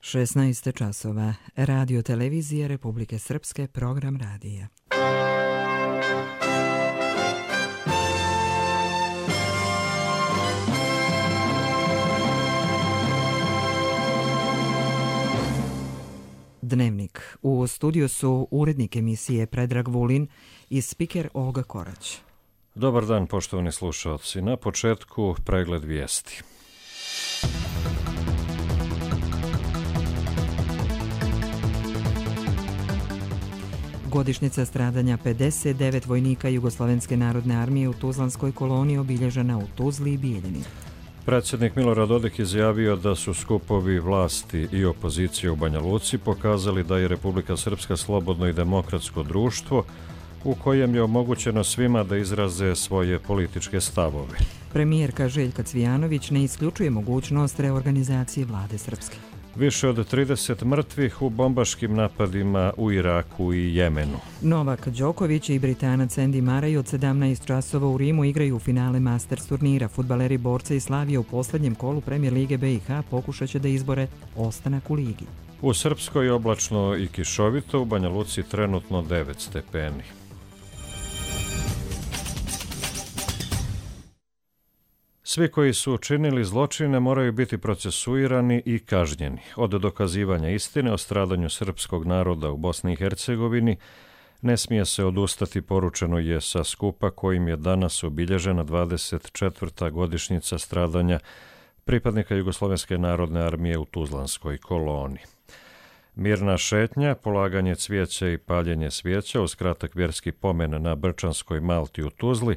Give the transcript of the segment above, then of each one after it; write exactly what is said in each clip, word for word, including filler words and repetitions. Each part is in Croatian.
šesnaest časova. Radio televizije Republike Srpske, program radija. Dnevnik. U studiju su urednik emisije Predrag Vulin i spiker Olga Korać. Dobar dan, poštovani slušalci. Na početku pregled vijesti. Godišnjica stradanja pedeset devet vojnika Jugoslovenske narodne armije u Tuzlanskoj koloniji obilježena u Tuzli i Bijeljini. Predsjednik Milorad Dodik izjavio da su skupovi vlasti i opozicije u Banja Luci pokazali da je Republika Srpska slobodno i demokratsko društvo u kojem je omogućeno svima da izraze svoje političke stavove. Premijerka Željka Cvijanović ne isključuje mogućnost reorganizacije vlade Srpske. Više od trideset mrtvih u bombaškim napadima u Iraku i Jemenu. Novak Đoković i Britanac Andy Murray od sedamnaest časova u Rimu igraju u finale Masters turnira. Fudbaleri Borca i Slavija u posljednjem kolu Premijer Lige B i H pokušat će da izbore ostanak u ligi. U Srpskoj oblačno i kišovito, u Banja Luci trenutno devet stepeni. Svi koji su učinili zločine moraju biti procesuirani i kažnjeni. Od dokazivanja istine o stradanju srpskog naroda u Bosni i Hercegovini ne smije se odustati, poručeno je sa skupa kojim je danas obilježena dvadeset četvrta godišnjica stradanja pripadnika Jugoslovenske narodne armije u Tuzlanskoj koloni. Mirna šetnja, polaganje cvijeća i paljenje svijeća uz kratak vjerski pomen na Brčanskoj Malti u Tuzli,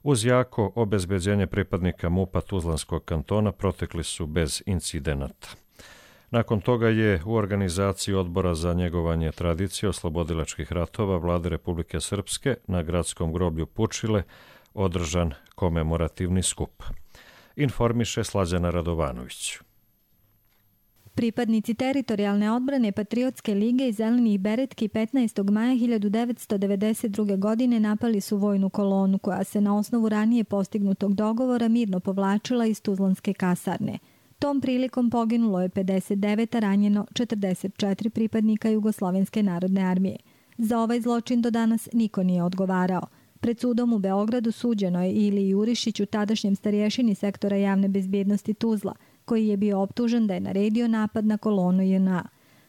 uz jako obezbeđenje pripadnika MUP-a Tuzlanskog kantona protekli su bez incidenata. Nakon toga je u organizaciji Odbora za njegovanje tradicije oslobodilačkih ratova Vlade Republike Srpske na gradskom groblju Pučile održan komemorativni skup. Informiše Slađana Radovanović. Pripadnici teritorijalne odbrane Patriotske lige i Zelenih beretki petnaestog maja hiljadu devetsto devedeset druge. godine napali su vojnu kolonu koja se na osnovu ranije postignutog dogovora mirno povlačila iz Tuzlanske kasarne. Tom prilikom poginulo je pedeset devet, a ranjeno četrdeset četiri pripadnika Jugoslovenske narodne armije. Za ovaj zločin do danas niko nije odgovarao. Pred sudom u Beogradu suđeno je Ili Jurišiću, tadašnjem starješini sektora javne bezbjednosti Tuzla, koji je bio optužen da je naredio napad na kolonu J N A.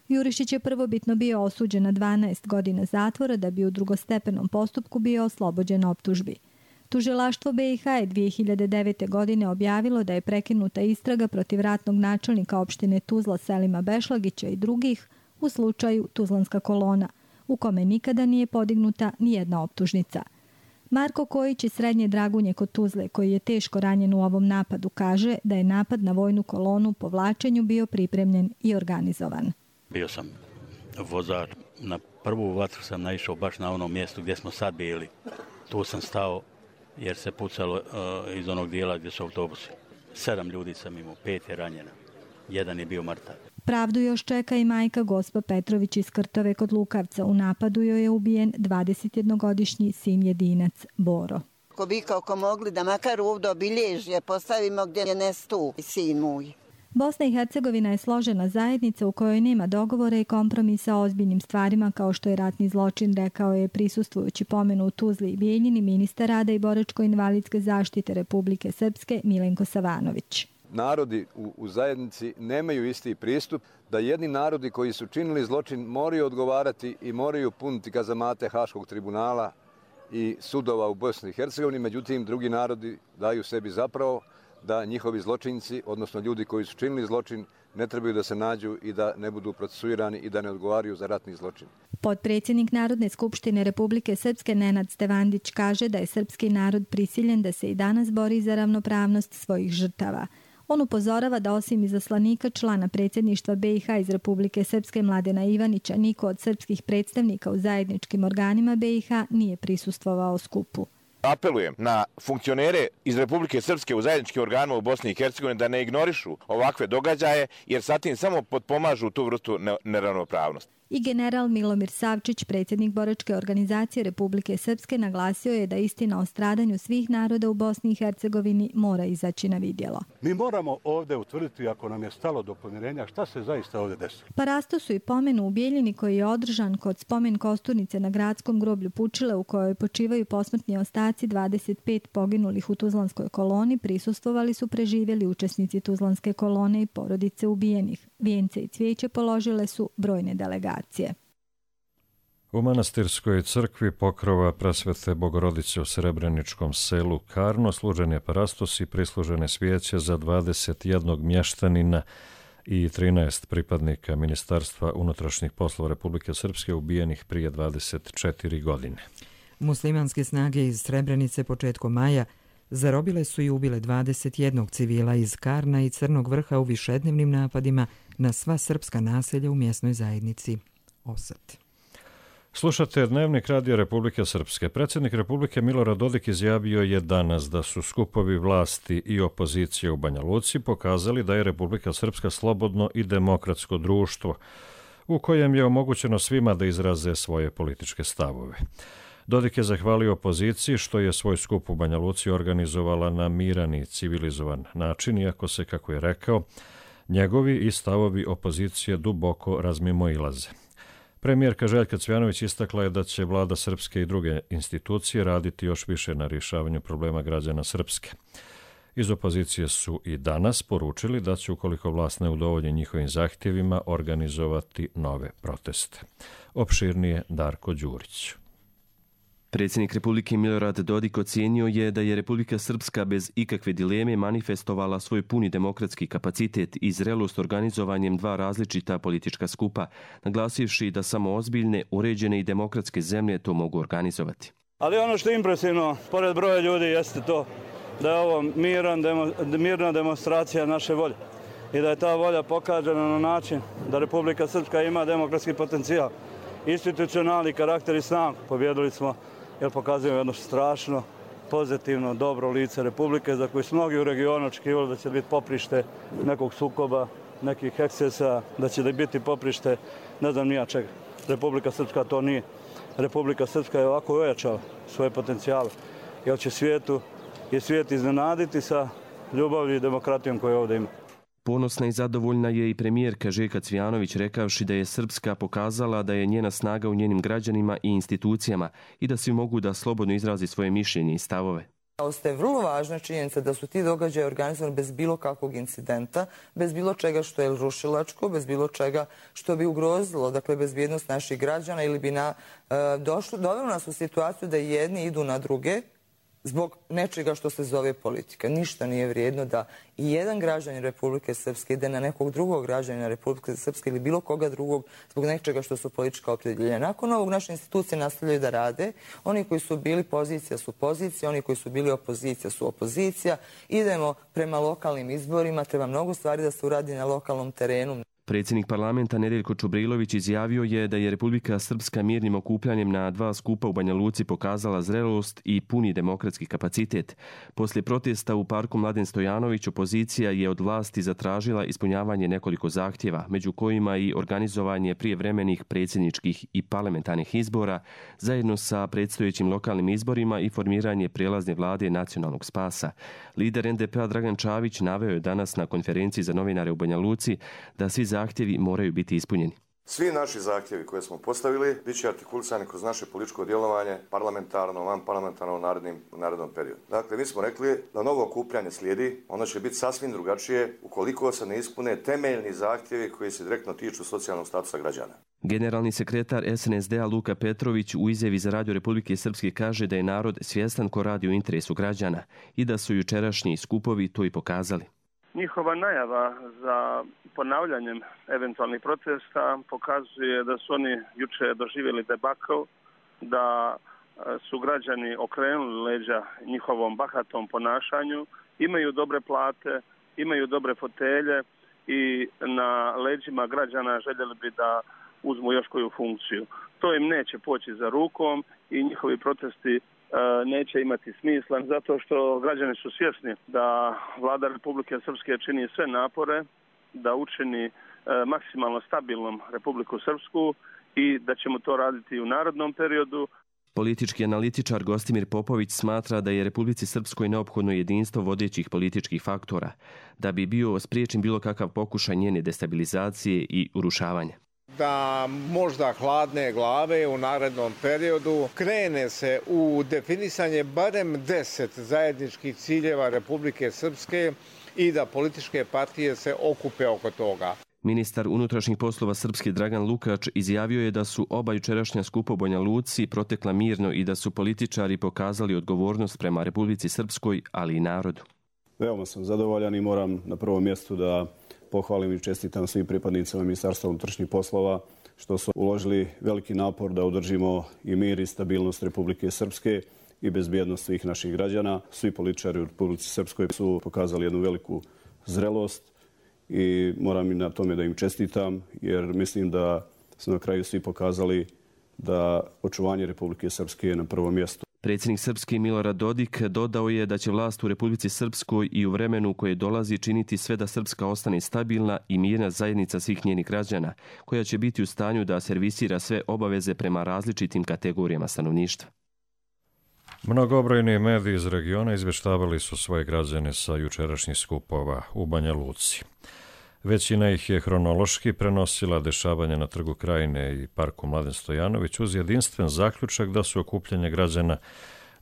Jurišić je prvobitno bio osuđen na dvanaest godina zatvora da bi u drugostepenom postupku bio oslobođen optužbi. Tužilaštvo B i H je dvije hiljade devete. godine objavilo da je prekinuta istraga protiv ratnog načelnika opštine Tuzla Selima Bešlagića i drugih u slučaju Tuzlanska kolona, u kome nikada nije podignuta nijedna optužnica. Marko Kojić iz Srednje Dragunje kod Tuzle, koji je teško ranjen u ovom napadu, kaže da je napad na vojnu kolonu po vlačenju bio pripremljen i organizovan. Bio sam vozač. Na prvu vatru sam naišao baš na onom mjestu gdje smo sad bili. Tu sam stao jer se pucalo uh, iz onog dijela gdje su autobusi. Sedam ljudi sam imao, pet je ranjena. Jedan je bio mrtav. Pravdu još čeka i majka Gospa Petrović iz Krtove kod Lukavca. U napadu joj je ubijen dvadesetjednogodišnji sin jedinac Boro. Ko bi kako mogli da makar ovdje obilježje postavimo gdje je nestu sin moj. Bosna i Hercegovina je složena zajednica u kojoj nema dogovora i kompromisa o ozbiljnim stvarima kao što je ratni zločin, rekao je prisustvujući pomenu u Tuzli i Bijeljini ministar rada i boračko-invalidske zaštite Republike Srpske Milenko Savanović. Narodi u, u zajednici nemaju isti pristup, da jedni narodi koji su činili zločin moraju odgovarati i moraju puniti kazamate Haškog tribunala i sudova u Bosni i Hercegovini, međutim drugi narodi daju sebi zapravo da njihovi zločinci, odnosno ljudi koji su činili zločin, ne trebaju da se nađu i da ne budu procesuirani i da ne odgovaraju za ratni zločin. Potpredsjednik Narodne skupštine Republike Srpske Nenad Stevandić kaže da je srpski narod prisiljen da se i danas bori za ravnopravnost svojih žrtava. On upozorava da osim izaslanika člana predsjedništva B i H iz Republike Srpske Mladena Ivanića, niko od srpskih predstavnika u zajedničkim organima B i H nije prisustvovao skupu. Apelujem na funkcionere iz Republike Srpske u zajedničkim organima u Bosni i Hercegovini da ne ignorišu ovakve događaje, jer sa tim samo potpomažu tu vrstu neravnopravnosti. I general Milomir Savčić, predsjednik boračke organizacije Republike Srpske, naglasio je da istina o stradanju svih naroda u Bosni i Hercegovini mora izaći na vidjelo. Mi moramo ovdje utvrditi, ako nam je stalo do pomirenja, šta se zaista ovdje desilo. Parasto su i pomenu u Bijeljini koji je održan kod spomen kosturnice na gradskom groblju Pučile u kojoj počivaju posmrtni ostaci dvadeset pet poginulih u Tuzlanskoj koloni, prisustvovali su preživjeli učesnici Tuzlanske kolone i porodice ubijenih. Vijence i cvijeće položile su brojne delegacije. U manastirskoj crkvi pokrova Presvete Bogorodice u Srebreničkom selu Karno služen je parastos i prislužene svijeće za dvadeset jednog mještanina i trinaest pripadnika Ministarstva unutrašnjih poslova Republike Srpske ubijenih prije dvadeset četiri godine. Muslimanske snage iz Srebrenice početkom maja zarobile su i ubile dvadeset jednog civila iz Karna i Crnog Vrha u višednevnim napadima na sva srpska naselja u mjesnoj zajednici Osat. Slušate Dnevnik Radija Republike Srpske. Predsjednik Republike Milorad Dodik izjavio je danas da su skupovi vlasti i opozicije u Banja Luci pokazali da je Republika Srpska slobodno i demokratsko društvo u kojem je omogućeno svima da izraze svoje političke stavove. Dodik je zahvalio opoziciji što je svoj skup u Banja Luci organizovala na miran i civilizovan način, iako se, kako je rekao, njegovi i stavovi opozicije duboko razmimoilaze. Premijerka Željka Cvjanović istakla je da će vlada Srpske i druge institucije raditi još više na rješavanju problema građana Srpske. Iz opozicije su i danas poručili da će, ukoliko vlast ne udovolji njihovim zahtjevima, organizovati nove proteste. Opširnije Darko Đurić. Predsjednik Republike Milorad Dodik ocijenio je da je Republika Srpska bez ikakve dileme manifestovala svoj puni demokratski kapacitet i zrelost organizovanjem dva različita politička skupa, naglasivši da samo ozbiljne, uređene i demokratske zemlje to mogu organizovati. Ali ono što je impresivno, pored broja ljudi, jeste to da je ovo miran, demo, mirna demonstracija naše volje i da je ta volja pokažena na način da Republika Srpska ima demokratski potencijal, institucionalni karakter i snagu. Pobjedili smo jer pokazujemo jedno strašno, pozitivno, dobro lice Republike za koje su mnogi u regionu očekivali da će biti poprište nekog sukoba, nekih ekscesa, da će da biti poprište ne znam nija čega. Republika Srpska to nije. Republika Srpska je ovako ojačala svoje potencijale. Jer će svijetu i svijet iznenaditi sa ljubavlju i demokratijom koju ovdje ima. Ponosna i zadovoljna je i premijerka Željka Cvjanović rekavši da je Srpska pokazala da je njena snaga u njenim građanima i institucijama i da svi mogu da slobodno izrazi svoje mišljenje i stavove. Ostaje vrlo važna činjenica da su ti događaji organizovani bez bilo kakvog incidenta, bez bilo čega što je rušilačko, bez bilo čega što bi ugrozilo, dakle, bezbjednost naših građana ili bi na, e, došlo, dovelo nas u situaciju da jedni idu na druge zbog nečega što se zove politika. Ništa nije vrijedno da i jedan građanin Republike Srpske ide na nekog drugog građanina Republike Srpske ili bilo koga drugog zbog nečega što su politička opredjeljenja. Nakon ovog naše institucije nastavljaju da rade. Oni koji su bili pozicija su pozicija, oni koji su bili opozicija su opozicija. Idemo prema lokalnim izborima, treba mnogo stvari da se uradi na lokalnom terenu. Predsjednik parlamenta Nedeljko Čubrilović izjavio je da je Republika Srpska mirnim okupljanjem na dva skupa u Banja Luci pokazala zrelost i puni demokratski kapacitet. Poslije protesta u parku Mladen Stojanović opozicija je od vlasti zatražila ispunjavanje nekoliko zahtjeva, među kojima i organizovanje prijevremenih predsjedničkih i parlamentarnih izbora, zajedno sa predstojećim lokalnim izborima i formiranje prijelazne vlade nacionalnog spasa. Lider en de pe a Dragan Čavić naveo je danas na konferenciji za novinare u Banja Luci da svi zahtjevi moraju biti ispunjeni. Svi naši zahtjevi koje smo postavili bit će artikulisani kroz naše političko djelovanje parlamentarno, van parlamentarno u narednim, narednom periodu. Dakle, mi smo rekli da novo okupljanje slijedi, ono će biti sasvim drugačije ukoliko se ne ispune temeljni zahtjevi koji se direktno tiču socijalnog statusa građana. Generalni sekretar es en es de a Luka Petrović u izjavi za Radio Republike Srpske kaže da je narod svjestan ko radi u interesu građana i da su jučerašnji skupovi to i pokazali. Njihova najava za ponavljanjem eventualnih protesta pokazuje da su oni juče doživjeli debakl, da su građani okrenuli leđa njihovom bahatom ponašanju, imaju dobre plate, imaju dobre fotelje i na leđima građana željeli bi da uzmu još koju funkciju. To im neće poći za rukom i njihovi protesti neće imati smisla, zato što građani su svjesni da vlada Republike Srpske čini sve napore da učini maksimalno stabilnom Republiku Srpsku i da ćemo to raditi i u narednom periodu. Politički analitičar Gostimir Popović smatra da je Republici Srpskoj neophodno jedinstvo vodećih političkih faktora, da bi bio spriječen bilo kakav pokušaj njene destabilizacije i urušavanja. Da možda hladne glave u narednom periodu krene se u definisanje barem deset zajedničkih ciljeva Republike Srpske i da političke partije se okupe oko toga. Ministar unutrašnjih poslova Srpske Dragan Lukač izjavio je da su oba jučerašnja skupa u Banja Luci protekla mirno i da su političari pokazali odgovornost prema Republici Srpskoj, ali i narodu. Veoma sam zadovoljan i moram na prvom mjestu da pohvalim i čestitam svim pripadnicima Ministarstva unutrašnjih poslova što su uložili veliki napor da održimo i mir i stabilnost Republike Srpske i bezbjednost svih naših građana. Svi političari u Republici Srpskoj su pokazali jednu veliku zrelost i moram i na tome da im čestitam, jer mislim da su na kraju svi pokazali da očuvanje Republike Srpske je na prvom mjestu. Predsjednik Srpske Milorad Dodik dodao je da će vlast u Republici Srpskoj i u vremenu koje dolazi činiti sve da Srpska ostane stabilna i mirna zajednica svih njenih građana, koja će biti u stanju da servisira sve obaveze prema različitim kategorijama stanovništva. Mnogobrojni mediji iz regiona izvještavali su svoje građane sa jučerašnjih skupova u Banja Luci. Većina ih je hronološki prenosila dešavanja na Trgu Krajine i Parku Mladen Stojanović uz jedinstven zaključak da su okupljanje građana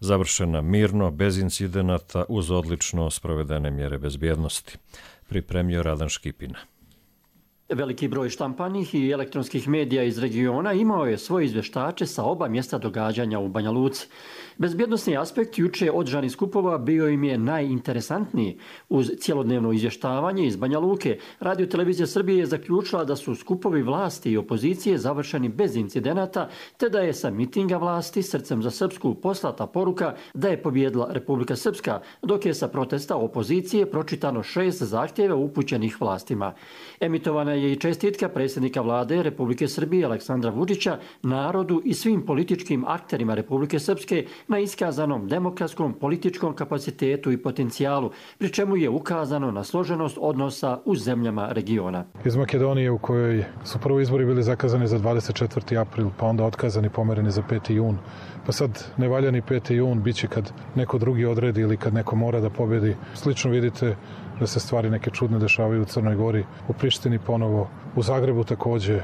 završena mirno, bez incidenata, uz odlično sprovedene mjere bezbjednosti. Pripremio Radan Škipina. Veliki broj štampanih i elektronskih medija iz regiona imao je svoje izvještače sa oba mjesta događanja u Banja Luci. Bezbjednosni aspekt juče održanih skupova bio im je najinteresantniji. Uz cjelodnevno izvještavanje iz Banja Luke, Radio Televizija Srbije je zaključila da su skupovi vlasti i opozicije završeni bez incidenata, te da je sa mitinga vlasti Srcem za Srpsku poslata poruka da je pobjedila Republika Srpska, dok je sa protesta opozicije pročitano šest zahtjeva upućenih vlastima. Emitovana je i čestitka predsjednika vlade Republike Srbije Aleksandra Vučića, narodu i svim političkim akterima Republike Srpske na iskazanom demokratskom političkom kapacitetu i potencijalu, pri čemu je ukazano na složenost odnosa u zemljama regiona. Iz Makedonije, u kojoj su prvo izbori bili zakazani za dvadeset četvrti april, pa onda otkazani, pomereni za peti jun. Pa sad nevaljani peti jun biće kad neko drugi odredi ili kad neko mora da pobjedi. Slično vidite da se stvari neke čudne dešavaju u Crnoj Gori, u Prištini ponovo, u Zagrebu također.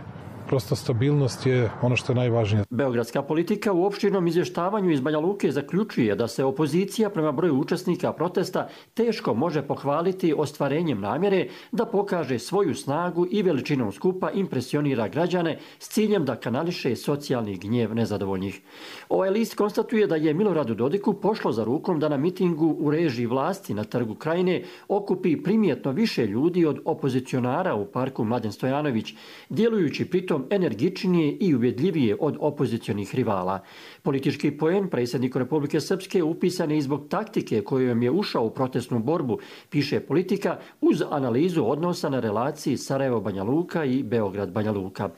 Prosto stabilnost je ono što je najvažnije. Beogradska politika u opširnom izvještavanju iz Banja Luke zaključuje da se opozicija prema broju učesnika protesta teško može pohvaliti ostvarenjem namjere da pokaže svoju snagu i veličinom skupa impresionira građane s ciljem da kanališe socijalni gnjev nezadovoljnih. Ovaj list konstatuje da je Miloradu Dodiku pošlo za rukom da na mitingu u režiji vlasti na Trgu Krajine okupi primjetno više ljudi od opozicionara u Parku Mladen Stojanović, djelujući pritom energičnije i ubjedljivije od opozicionih rivala. Politički poen predsjedniku Republike Srpske upisan je i zbog taktike kojom je ušao u protestnu borbu, piše Politika, uz analizu odnosa na relaciji Sarajevo-Banja Luka i Beograd-Banja Luka.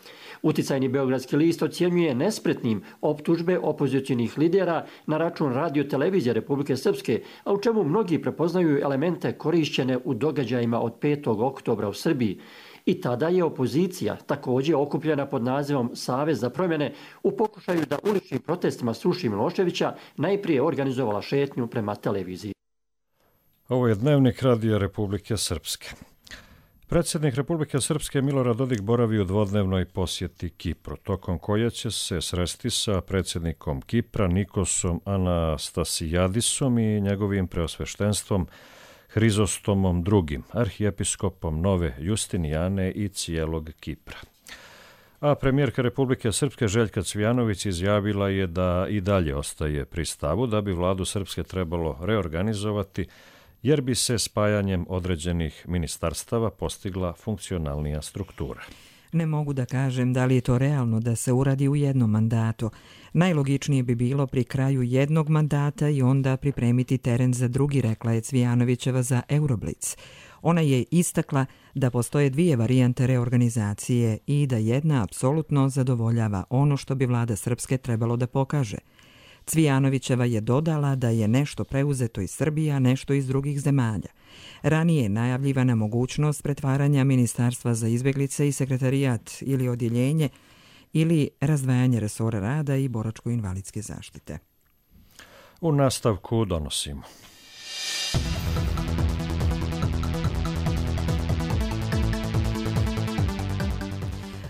Uticajni beogradski list ocjenjuje nespretnim optužbe opozicionih lidera na račun Radio Televizije Republike Srpske, a u čemu mnogi prepoznaju elemente korišćene u događajima od petog oktobra u Srbiji. I tada je opozicija, također okupljena pod nazivom Savez za promjene, u pokušaju da uličnim protestima sruši Miloševića, najprije organizovala šetnju prema televiziji. Ovo je dnevnik Radija Republike Srpske. Predsjednik Republike Srpske Milorad Dodik boravi u dvodnevnoj posjeti Kipru, tokom koje će se sresti sa predsjednikom Kipra Nikosom Anastasijadisom i njegovim preosveštenstvom Hrizostomom drugim, arhijepiskopom Nove Justinijane i cijelog Kipra. A premijerka Republike Srpske Željka Cvijanović izjavila je da i dalje ostaje pri stavu da bi vladu Srpske trebalo reorganizovati, jer bi se spajanjem određenih ministarstava postigla funkcionalnija struktura. Ne mogu da kažem da li je to realno da se uradi u jednom mandatu. Najlogičnije bi bilo pri kraju jednog mandata i onda pripremiti teren za drugi, rekla je Cvijanovićeva za Euroblic. Ona je istakla da postoje dvije varijante reorganizacije i da jedna apsolutno zadovoljava ono što bi vlada Srpske trebalo da pokaže. Cvijanovićeva je dodala da je nešto preuzeto iz Srbije, a nešto iz drugih zemalja. Ranije je najavljivana mogućnost pretvaranja Ministarstva za izbjeglice i sekretarijat ili odjeljenje ili razdvajanje resora rada i boračko-invalidske zaštite. U nastavku donosimo.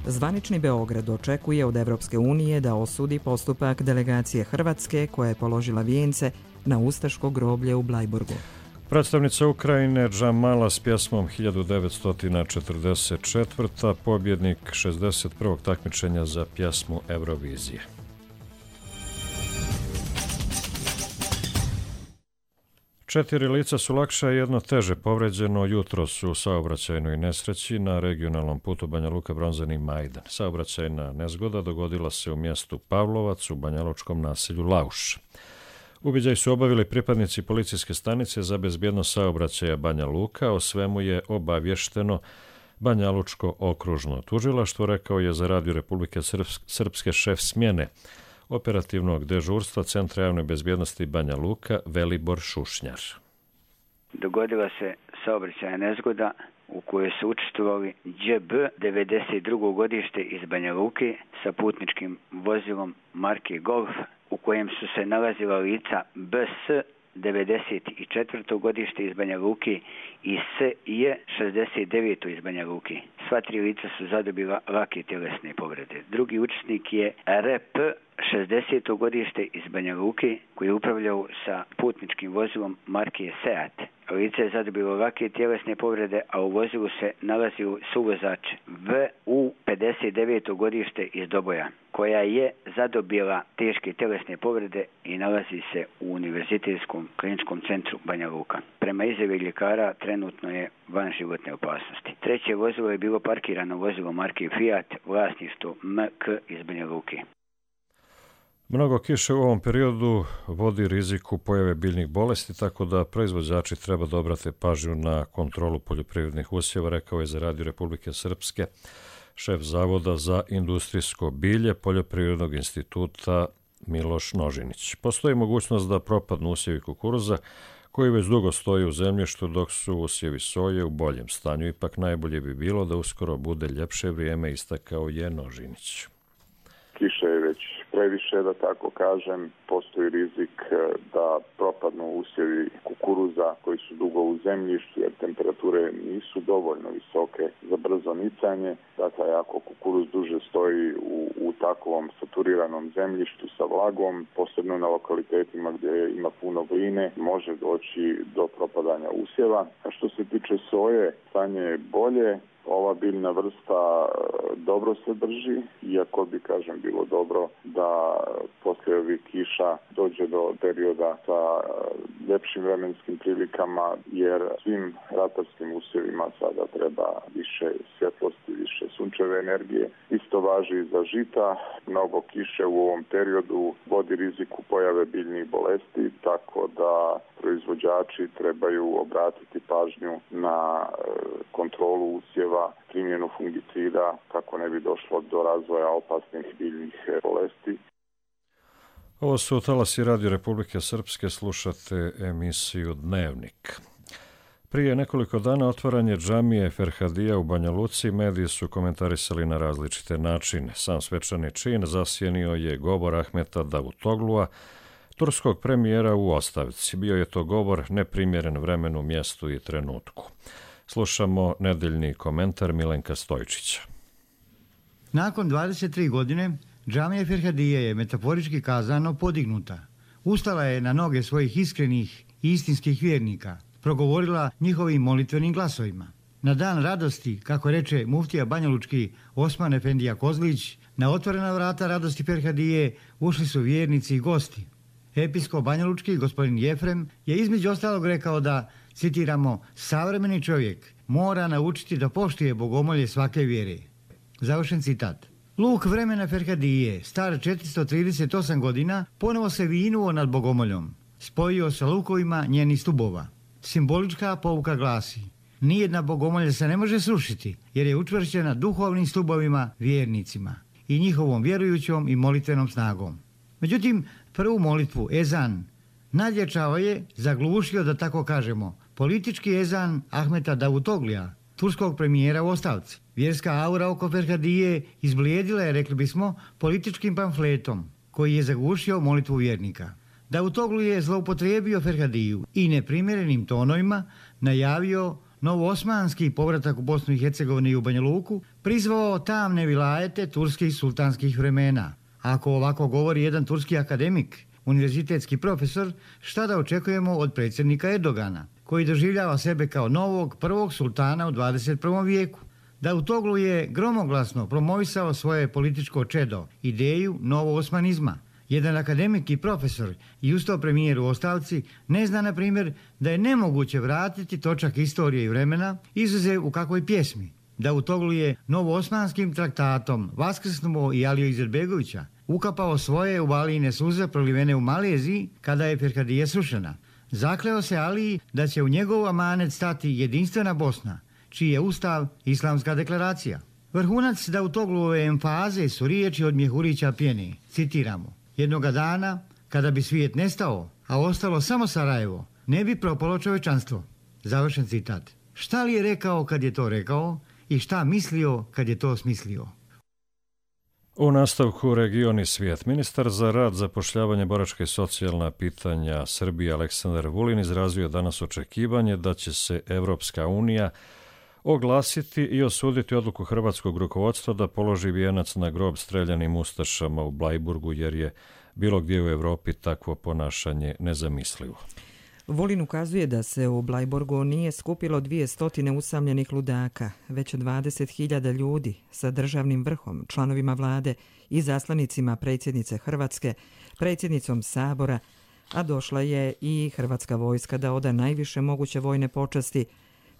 Zvanični Beograd očekuje od Evropske unije da osudi postupak delegacije Hrvatske koja je položila vijence na ustaško groblje u Blajburgu. Predstavnica Ukrajine Džamala s pjesmom hiljadu devetsto četrdeset četvrta pobjednik šezdeset prvog takmičenja za pjesmu Eurovizije. Četiri lica su lakše, jedno teže povređeno jutros u saobraćajnoj nesreći na regionalnom putu Banja Luka-Bronzani Majdan. Saobraćajna nezgoda dogodila se u mjestu Pavlovac u banjalučkom naselju Lauš. Uviđaj su obavili pripadnici policijske stanice za bezbjednost saobraćaja Banja Luka. O svemu je obavješteno Banjalučko okružno tužilaštvo, rekao je za Radio Republike Srpske šef smjene operativnog dežurstva Centra javne bezbjednosti Banja Luka Velibor Šušnjar. Dogodila se saobraćajna nezgoda u kojoj su učestvovali Đ B devedeset drugo godište iz Banja Luke sa putničkim vozilom marke Golf, u kojem su se nalazila lica B S devedeset četvrto godište iz Banja Luke i S J šezdeset deveto iz Banja Luke. Sva tri lica su zadobila lake tjelesne povrede. Drugi učesnik je R P šezdeseto godište iz Banja Luke koji je upravljao sa putničkim vozilom marke Seat. Lice je zadobilo lake tjelesne povrede, a u vozilu se nalazio suvozač V U pedeset deveto godište iz Doboja, koja je zadobila teške tjelesne povrede i nalazi se u Univerzitetskom kliničkom centru Banja Luka. Prema izjavi ljekara trenutno je van životne opasnosti. Treće vozilo je bilo parkirano vozilo marke Fiat, vlasništvo M K iz Banja Luke. Mnogo kiše u ovom periodu vodi riziku pojave biljnih bolesti, tako da proizvođači treba da obrate pažnju na kontrolu poljoprivrednih usjeva, rekao je za Radio Republike Srpske šef Zavoda za industrijsko bilje Poljoprivrednog instituta Miloš Nožinić. Postoji mogućnost da propadnu usjevi kukuruza koji već dugo stoji u zemljištu, dok su usjevi soje u boljem stanju. Ipak najbolje bi bilo da uskoro bude ljepše vrijeme, istakao je Nožinić. Kiša je već previše, da tako kažem. Postoji rizik da propadnu usjevi kukuruza koji su dugo u zemljištu, jer temperature nisu dovoljno visoke za brzo nicanje. Dakle, ako kukuruz duže stoji u, u takvom saturiranom zemljištu sa vlagom, posebno na lokalitetima gdje ima puno gline, može doći do propadanja usjeva. A što se tiče soje, stanje je bolje. Ova biljna vrsta dobro se drži, iako bi, kažem, bilo dobro da poslije ovih kiša dođe do perioda sa ljepšim vremenskim prilikama, jer svim ratarskim usjevima sada treba više svjetlosti, više sunčeve energije. Isto važi i za žita. Mnogo kiše u ovom periodu vodi riziku pojave biljnih bolesti, tako da proizvođači trebaju obratiti pažnju na kontrolu usjeva, primjenu fungicida kako ne bi došlo do razvoja opasnih biljnih bolesti. Ovo su talasi Radio Republike Srpske, slušate emisiju Dnevnik. Prije nekoliko dana otvaranje džamije Ferhadija u Banja Luci mediji su komentarisali na različite načine. Sam svečani čin zasjenio je govor Ahmeta Davutoglua, turskog premijera u ostavci. Bio je to govor neprimjeren vremenu, mjestu i trenutku. Slušamo nedeljni komentar Milenka Stojčića. Nakon dvadeset tri godine, džamija Ferhadije je metaforički kazano podignuta. Ustala je na noge svojih iskrenih i istinskih vjernika, progovorila njihovim molitvenim glasovima. Na dan radosti, kako reče muftija banjalučki Osman Efendija Kozlić, na otvorena vrata radosti Ferhadije ušli su vjernici i gosti. Episkop banjalučki gospodin Jefrem je između ostalog rekao da, citiramo, savremeni čovjek mora naučiti da poštuje bogomolje svake vjere. Završen citat. Luk vremena Ferhadije, star četiristo trideset osam godina, ponovo se vinuo nad bogomoljom. Spojio sa lukovima njenih stubova. Simbolička pouka glasi: nijedna bogomolja se ne može srušiti, jer je učvršćena duhovnim stubovima vjernicima i njihovom vjerujućom i molitvenom snagom. Međutim, prvu molitvu, ezan, nadjačao je, zaglušio, da tako kažemo, politički ezan Ahmeta Davutoglija, turskog premijera u ostavci. Vjerska aura oko Ferhadije izblijedila je, rekli bismo, političkim pamfletom koji je zagušio molitvu vjernika. Davutoglu je zloupotrijebio Ferhadiju i neprimjerenim tonovima najavio novoosmanski povratak u Bosnu i Hercegovinu i u Banja Luku, prizvao tamne vilajete turskih sultanskih vremena. Ako ovako govori jedan turski akademik, univerzitetski profesor, šta da očekujemo od predsjednika Erdogana, koji doživljava sebe kao novog prvog sultana u dvadeset prvom vijeku. Davutoglu je gromoglasno promovisao svoje političko čedo, ideju novoosmanizma. Jedan akademik i profesor i ustao premijer u ostavci ne zna, na primjer, da je nemoguće vratiti točak istorije i vremena, izuzev u kakvoj pjesmi. Davutoglu je novoosmanskim traktatom vaskrsnuo i Aliju Izetbegovića, ukapao svoje uvalijine suze prolivene u Maleziji kada je Ferhadija srušena. Zakleo se Aliji da će u njegov amanet stati jedinstvena Bosna, čiji je ustav islamska deklaracija. Vrhunac Davutoglove emfaze su riječi od Mjehurića Pjeni, citiramo: jednoga dana, kada bi svijet nestao, a ostalo samo Sarajevo, ne bi propalo čovečanstvo. Završen citat. Šta li je rekao kad je to rekao i šta mislio kad je to smislio? U nastavku region i svijet. Ministar za rad, zapošljavanje, boračka i socijalna pitanja Srbije Aleksandar Vulin izrazio danas očekivanje da će se Evropska unija oglasiti i osuditi odluku hrvatskog rukovodstva da položi vijenac na grob streljanim ustašama u Blajburgu, jer je bilo gdje u Evropi takvo ponašanje nezamislivo. Vulin ukazuje da se u Blajburgu nije skupilo dvije stotine usamljenih ludaka, već dvadeset hiljada ljudi sa državnim vrhom, članovima vlade i zaslanicima predsjednice Hrvatske, predsjednicom Sabora, a došla je i hrvatska vojska da oda najviše moguće vojne počasti,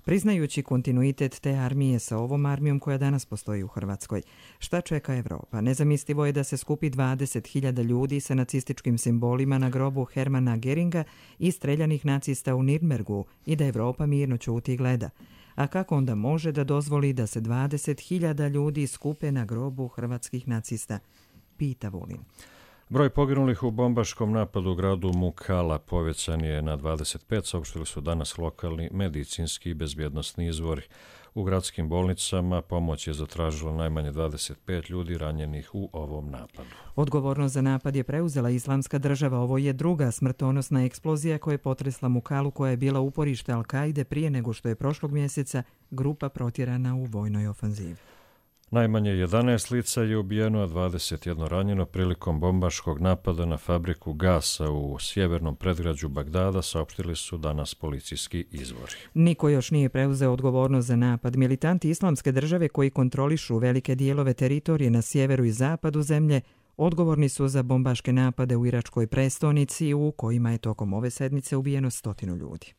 priznajući kontinuitet te armije sa ovom armijom koja danas postoji u Hrvatskoj. Šta čeka Evropa? Nezamislivo je da se skupi dvadeset hiljada ljudi sa nacističkim simbolima na grobu Hermana Geringa i streljanih nacista u Nirnbergu i da Evropa mirno ćuti i gleda. A kako onda može da dozvoli da se dvadeset hiljada ljudi skupe na grobu hrvatskih nacista? Pita Vulin. Broj poginulih u bombaškom napadu u gradu Mukala povećan je na dvadeset pet, saopštili su danas lokalni medicinski i bezbjednosni izvori. U gradskim bolnicama pomoć je zatražilo najmanje dvadeset pet ljudi ranjenih u ovom napadu. Odgovornost za napad je preuzela Islamska država. Ovo je druga smrtonosna eksplozija koja je potresla Mukalu, koja je bila uporište Al-Kaide prije nego što je prošlog mjeseca grupa protjerana u vojnoj ofanzivi. Najmanje jedanaest lica je ubijeno, a dvadeset jedan ranjeno prilikom bombaškog napada na fabriku gasa u sjevernom predgrađu Bagdada, saopštili su danas policijski izvori. Niko još nije preuzeo odgovornost za napad. Militanti Islamske države koji kontrolišu velike dijelove teritorije na sjeveru i zapadu zemlje odgovorni su za bombaške napade u iračkoj prestonici u kojima je tokom ove sedmice ubijeno stotinu ljudi.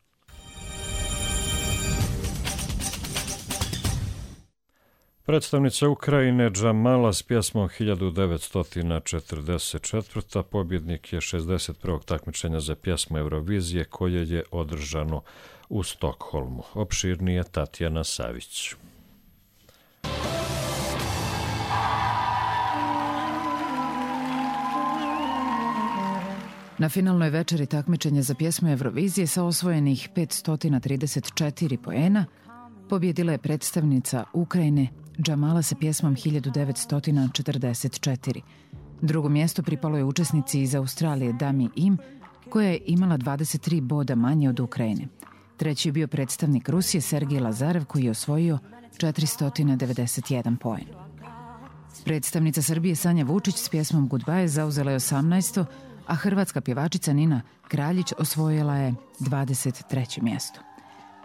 Predstavnica Ukrajine Džamala s pjesmom hiljadu devetsto četrdeset četiri. pobjednik je šezdeset prvog takmičenja za pjesmu Eurovizije koje je održano u Stokholmu. Opširnije Tatjana Savić. Na finalnoj večeri takmičenja za pjesmu Eurovizije sa osvojenih petsto trideset četiri poena pobjedila je predstavnica Ukrajine Džamala sa pjesmom hiljadu devetsto četrdeset četiri. Drugo mjesto pripalo je učesnici iz Australije Dami Im, koja je imala dvadeset tri boda manje od Ukrajine. Treći je bio predstavnik Rusije Sergij Lazarev, koji je osvojio četiristo devedeset jedan poen. Predstavnica Srbije Sanja Vučić s pjesmom Goodbye zauzela je osamnaesto, a hrvatska pjevačica Nina Kraljić osvojila je dvadeset treće mjesto.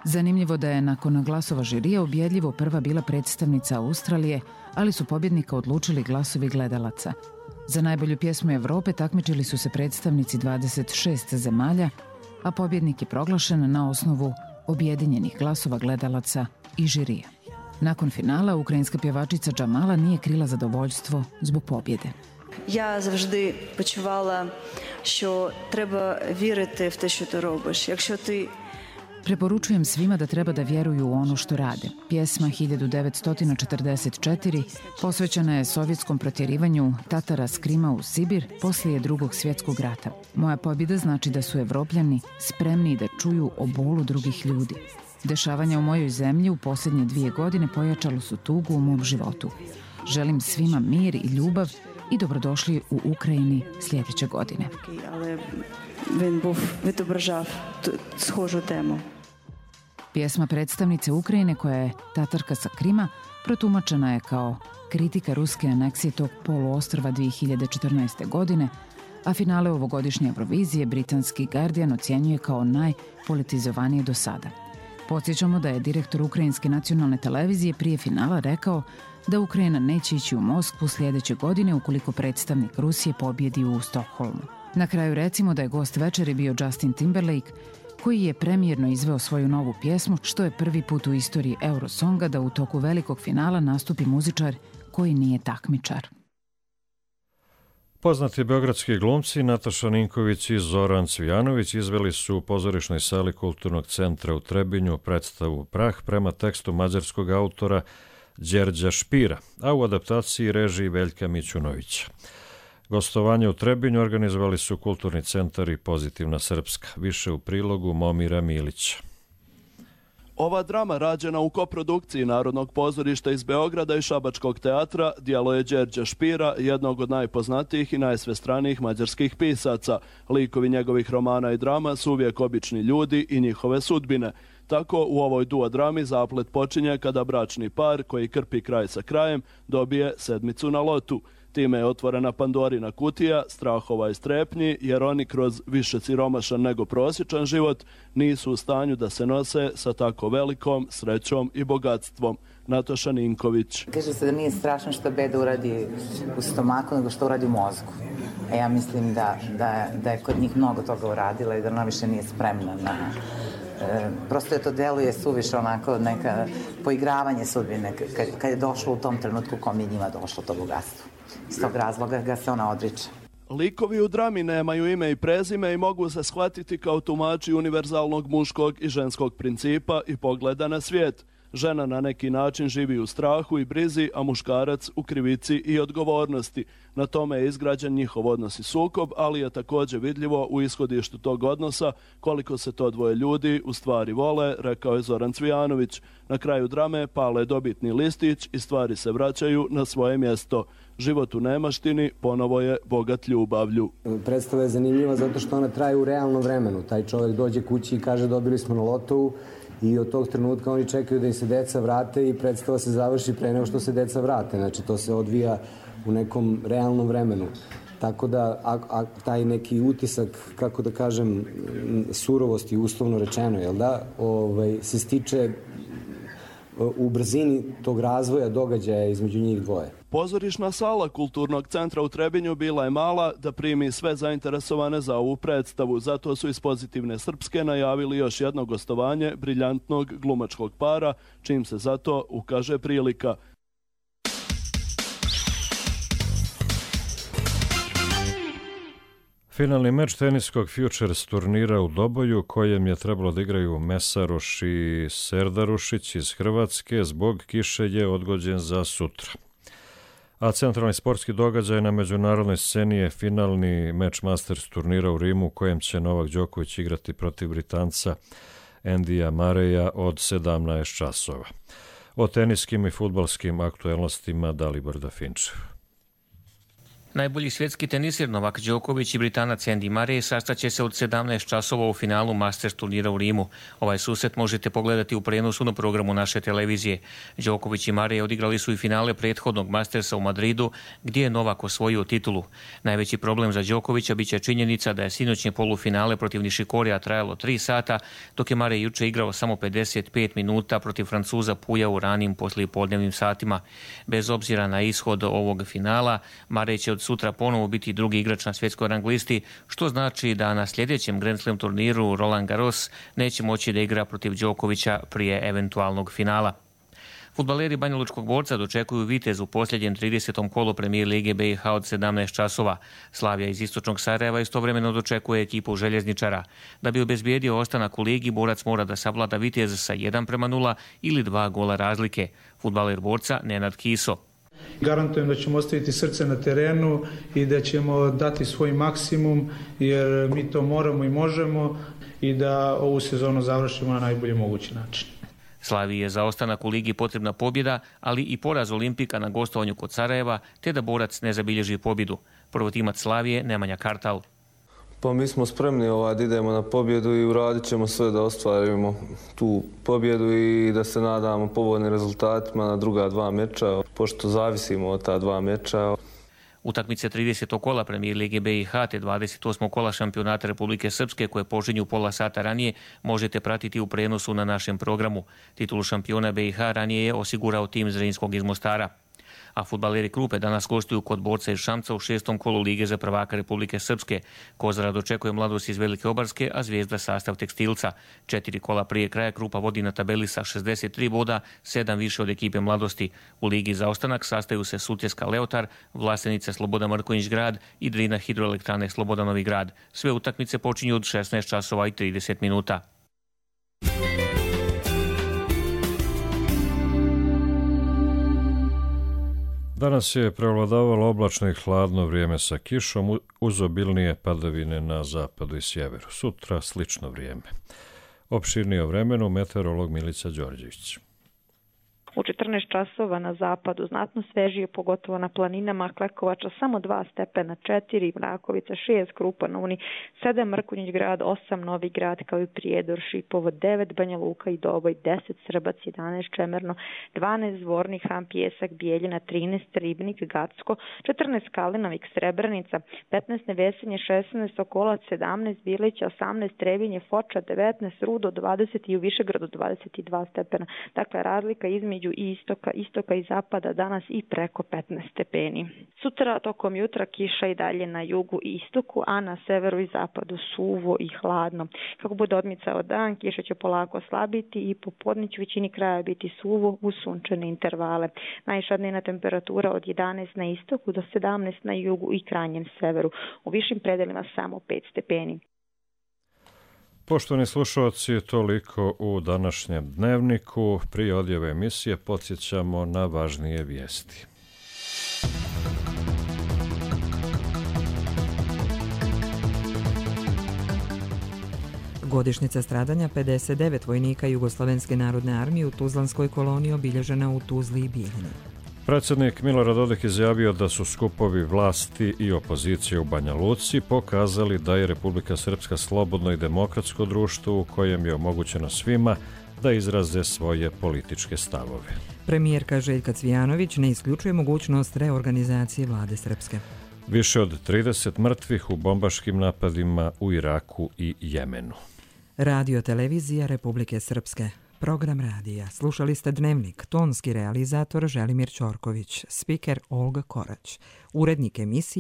Zanimljivo da je nakon glasova žirija ubjedljivo prva bila predstavnica Australije, ali su pobjednika odlučili glasovi gledalaca. Za najbolju pjesmu Evrope takmičili su se predstavnici dvadeset šest zemalja, a pobjednik je proglašen na osnovu objedinjenih glasova gledalaca i žirija. Nakon finala, ukrajinska pjevačica Džamala nije krila zadovoljstvo zbog pobjede. Я завжди почувала, що треба вірити в те, що ти робиш. Якщо ти Preporučujem svima da treba da vjeruju u ono što rade. Pjesma hiljadu devetsto četrdeset četiri posvećena je sovjetskom protjerivanju Tatara s Krima u Sibir poslije drugog svjetskog rata. Moja pobjeda znači da su Evropljani spremni da čuju o bolu drugih ljudi. Dešavanja u mojoj zemlji u posljednje dvije godine pojačalo su tugu u mom životu. Želim svima mir i ljubav i dobrodošli u Ukrajini sljedeće godine. Але він був відображав схожу тему. Pjesma predstavnice Ukrajine, koja je Tatarka sa Krima, protumačena je kao kritika ruske aneksije tog poluostrva dvije hiljade četrnaeste. godine, a finale ovogodišnje Eurovizije britanski Guardian ocjenjuje kao najpolitizovanije do sada. Podsjećamo da je direktor Ukrajinske nacionalne televizije prije finala rekao da Ukrajina neće ići u Moskvu sljedeće godine ukoliko predstavnik Rusije pobjedi u Stokholmu. Na kraju recimo da je gost večeri bio Justin Timberlake, koji je premijerno izveo svoju novu pjesmu, što je prvi put u istoriji Eurosonga da u toku velikog finala nastupi muzičar koji nije takmičar. Poznati beogradski glumci Nataša Ninković i Zoran Cvijanović izveli su u pozorišnoj sali Kulturnog centra u Trebinju predstavu Prah prema tekstu mađarskog autora Đerđa Špira, a u adaptaciji režiji Veljka Mićunovića. Gostovanje u Trebinju organizovali su Kulturni centar i Pozitivna Srpska. Više u prilogu Momira Milića. Ova drama, rađena u koprodukciji Narodnog pozorišta iz Beograda i Šabačkog teatra, djelo je Đerđa Špira, jednog od najpoznatijih i najsvestranijih mađarskih pisaca. Likovi njegovih romana i drama su uvijek obični ljudi i njihove sudbine. Tako u ovoj duo drami zaplet počinje kada bračni par, koji krpi kraj sa krajem, dobije sedmicu na lotu. Time je otvorena Pandorina kutija strahova i strepnji, jer oni kroz više siromašan nego prosječan život nisu u stanju da se nose sa tako velikom srećom i bogatstvom. Nataša Ninković. Kaže se da nije strašno što beda uradi u stomaku, nego što uradi u mozgu. A ja mislim da, da, da je kod njih mnogo toga uradila i da ona više nije spremna na... E, prosto je to deluje suviše onako neka poigravanje sudbine kad, kad je došlo u tom trenutku kom je njima došlo to bogatstvo. Iz tog razloga ga se ona odriče. Likovi u drami nemaju ime i prezime i mogu se shvatiti kao tumači univerzalnog muškog i ženskog principa i pogleda na svijet. Žena na neki način živi u strahu i brizi, a muškarac u krivici i odgovornosti. Na tome je izgrađen njihov odnos i sukob, ali je također vidljivo u ishodištu tog odnosa koliko se to dvoje ljudi u stvari vole, rekao je Zoran Cvijanović. Na kraju drame pale dobitni listić i stvari se vraćaju na svoje mjesto. Život u nemaštini ponovo je bogat ljubavlju. Predstava je zanimljiva zato što ona traje u realnom vremenu. Taj čovjek dođe kući i kaže dobili smo na lotovu i od tog trenutka oni čekaju da im se deca vrate i predstava se završi pre nego što se deca vrate. Znači to se odvija u nekom realnom vremenu. Tako da a, a, taj neki utisak, kako da kažem, surovosti uslovno rečeno, jel da, ovaj, se stiče u brzini tog razvoja događaja između njih dvoje. Pozorišna sala Kulturnog centra u Trebinju bila je mala da primi sve zainteresovane za ovu predstavu. Zato su iz Pozitivne Srpske najavili još jedno gostovanje briljantnog glumačkog para, čim se zato ukaže prilika. Finalni meč teniskog Futures turnira u Doboju, kojem je trebalo da igraju Mesaroš i Serdarušić iz Hrvatske, zbog kiše je odgođen za sutra. A centralni sportski događaj na međunarodnoj sceni je finalni meč Masters turnira u Rimu, u kojem će Novak Đoković igrati protiv Britanca Endija Mareja od sedamnaest časova. O teniskim i fudbalskim aktuelnostima Dalibor Dafinčev. Najbolji svjetski tenisir Novak Đoković i Britanac Andy Murray sastaće se od sedamnaest časova u finalu Masters turnira u Rimu. Ovaj susret možete pogledati u prenosu na programu naše televizije. Đoković i Murray odigrali su i finale prethodnog Mastersa u Madridu, gdje je Novak osvojio titulu. Najveći problem za Đokovića biće činjenica da je sinoćnje polufinale protiv Nišikorija trajalo tri sata, dok je Murray juče igrao samo pedeset pet minuta protiv Francuza Puja u ranim poslijepodnevnim satima. Bez obzira na ishod ovog finala, Murray će od sutra ponovo biti drugi igrač na svjetskoj rang listi, što znači da na sljedećem Grand Slam turniru Roland Garros neće moći da igra protiv Đokovića prije eventualnog finala. Fudbaleri Banjalučkog Borca dočekuju Vitez u posljednjem tridesetom kolu Premijer Lige B i H od sedamnaest časova. Slavija iz istočnog Sarajeva istovremeno dočekuje ekipu Željezničara. Da bi obezbijedio ostanak u ligi, Borac mora da savlada Vitez sa jedan prema nula ili dva gola razlike. Fudbaler Borca Nenad Kiso. Garantujem da ćemo ostaviti srce na terenu i da ćemo dati svoj maksimum, jer mi to moramo i možemo. i da ovu sezonu završimo na najbolji mogući način. Slaviji je za ostanak u ligi potrebna pobjeda, ali i poraz Olimpika na gostovanju kod Sarajeva, te da borac ne zabilježi pobjedu. Prvotimac Slavije Nemanja Kartal. Pa mi smo spremni ovaj, da idemo na pobjedu i uradit ćemo sve da ostvarimo tu pobjedu i da se nadamo povoljnim rezultatima na druga dva meča, pošto zavisimo od ta dva meča. Utakmice tridesetog kola Premijer Lige B i H te dvadeset osmog kola šampionata Republike Srpske, koje počinju pola sata ranije, možete pratiti u prenosu na našem programu. Titulu šampiona B i H ranije je osigurao tim Zrinskog iz Mostara. A fudbaleri Krupe danas gostuju kod borca iz Šamca u šestom kolu Lige za prvaka Republike Srpske. Kozara dočekuje Mladost iz Velike Obarske, a Zvijezda sastav Tekstilca. Četiri kola prije kraja Krupa vodi na tabeli sa šezdeset tri boda, sedam više od ekipe Mladosti. U Ligi za ostanak sastaju se Sutjeska Leotar, Vlasenice Sloboda Marković Grad i Drina Hidroelektrane Sloboda Novi Grad. Sve utakmice počinju od šesnaest časova i trideset minuta. Danas je prevladavalo oblačno i hladno vrijeme sa kišom uz obilnije padavine na zapadu i sjeveru. Sutra slično vrijeme. Opširnije o vremenu meteorolog Milica Đorđević. U četrnaest časova na zapadu znatno svežije, pogotovo na planinama, Klekovača samo dva stepena, četiri, Mrakovica šest, Krupa na Uni sedam, Mrkonjić Grad osam, Novi Grad kao i Prijedor, Šipovo devet, Banja Luka i Doboj deset, Srbac jedanaest, Čemerno dvanaest, Zvornik, Han, Pijesak, Bijeljina trinaest, Ribnik, Gacko četrnaest, Kalinovik, Srebrenica petnaest, Nevesinje šesnaest, Sokolac sedamnaest, Bilić osamnaest, Trebinje, Foča devetnaest, Rudo dvadeset i u Višegradu dvadeset dva stepena. Dakle, razlika između i istoka, istoka i zapada danas i preko petnaest stepeni. Sutra tokom jutra kiša i dalje na jugu i istoku, a na severu i zapadu suvo i hladno. Kako bude odmicao dan, kiša će polako slabiti i popodne će u većini kraja biti suvo uz sunčane intervale. Najviša dnevna temperatura od jedanaest na istoku do sedamnaest na jugu i krajnjem severu. U višim predelima samo pet stepeni. Poštovani slušalci, toliko u današnjem dnevniku. Prije odjave emisije podsjećamo na važnije vijesti. Godišnjica stradanja pedeset devet vojnika Jugoslovenske narodne armije u Tuzlanskoj koloniji obilježena u Tuzli i Bijeljini. Predsjednik Milorad Dodik izjavio da su skupovi vlasti i opozicije u Banja Luci pokazali da je Republika Srpska slobodno i demokratsko društvo u kojem je omogućeno svima da izraze svoje političke stavove. Premijerka Željka Cvijanović ne isključuje mogućnost reorganizacije vlade Srpske. Više od trideset mrtvih u bombaškim napadima u Iraku i Jemenu. Radio televizija Republike Srpske. Program radija. Slušali ste Dnevnik, tonski realizator Želimir Ćorković, spiker Olga Korać, urednik emisije